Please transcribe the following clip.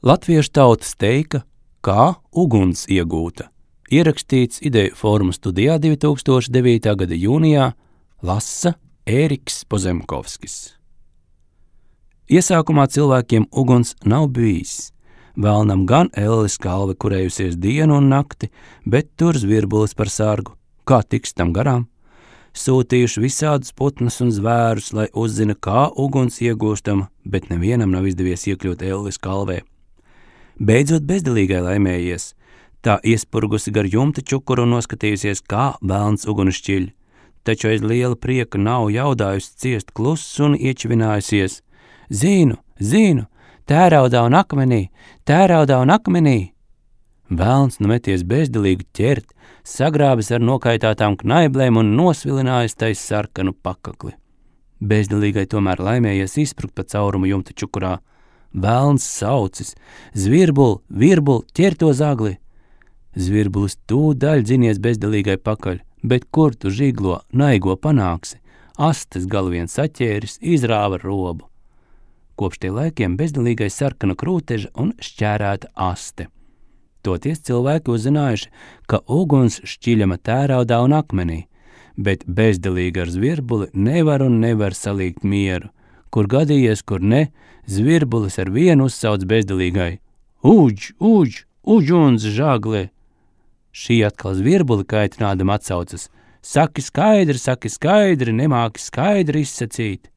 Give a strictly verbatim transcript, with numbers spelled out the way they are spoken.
Latviešu tautas teika, kā uguns iegūta. Ierakstīts Ideju fóruma studijā divi tūkstoši devītā gada jūnijā, lasa Ēriks Pozemkovskis. Iesākumā cilvēkiem uguns nav bijis. Velnam gan ellis kalve kurējusies dienu un nakti, bet tur zvirbulis par sargu. Kā tiks tam garām? Sūtījuši visādus putnus un zvērus, lai uzzina, kā uguns iegūstama, bet nevienam nav izdevies iekļūt ellis kalvē. Beidzot bezdelīgai laimējies, tā iespurgusi gar jumta čukuru un noskatījusies, kā velns uguni šķiļ, taču aiz liela prieka nav jaudājusi ciest kluss un iečivinājusies. Zinu, zinu, tēraudā un akmenī, tēraudā un akmenī. Velns nu meties bezdelīgi ķert, sagrābis ar nokaitātām knaiblēm un nosvilinājis tais sarkanu pakakli. Bezdelīgai tomēr laimējies izsprukt pa caurumu jumta čukurā. Velns saucis, zvirbul, virbul, ķer to zagli. Zvirbulis tūdaļ dzinies bezdelīgai pakaļ, bet kur tu žiglo, naigo panāksi? Astes galvien saķēris, izrāva robu. Kopš tie laikiem bezdelīgai sarkana krūteža un šķērēta aste. Toties cilvēki uzzinājuši, ka uguns šķiļama tēraudā un akmenī, bet bezdelīgi ar zvirbuli nevar un nevar salīgt mieru. Kur gadījies, kur ne, zvirbulis ar vienu uzsauc bezdelīgai. Uģ, uģ, uģuns žagle! Šī atkal zvirbuli kaitinādam atsaucas. Saki skaidri, saki skaidri, nemāki skaidri izsacīt.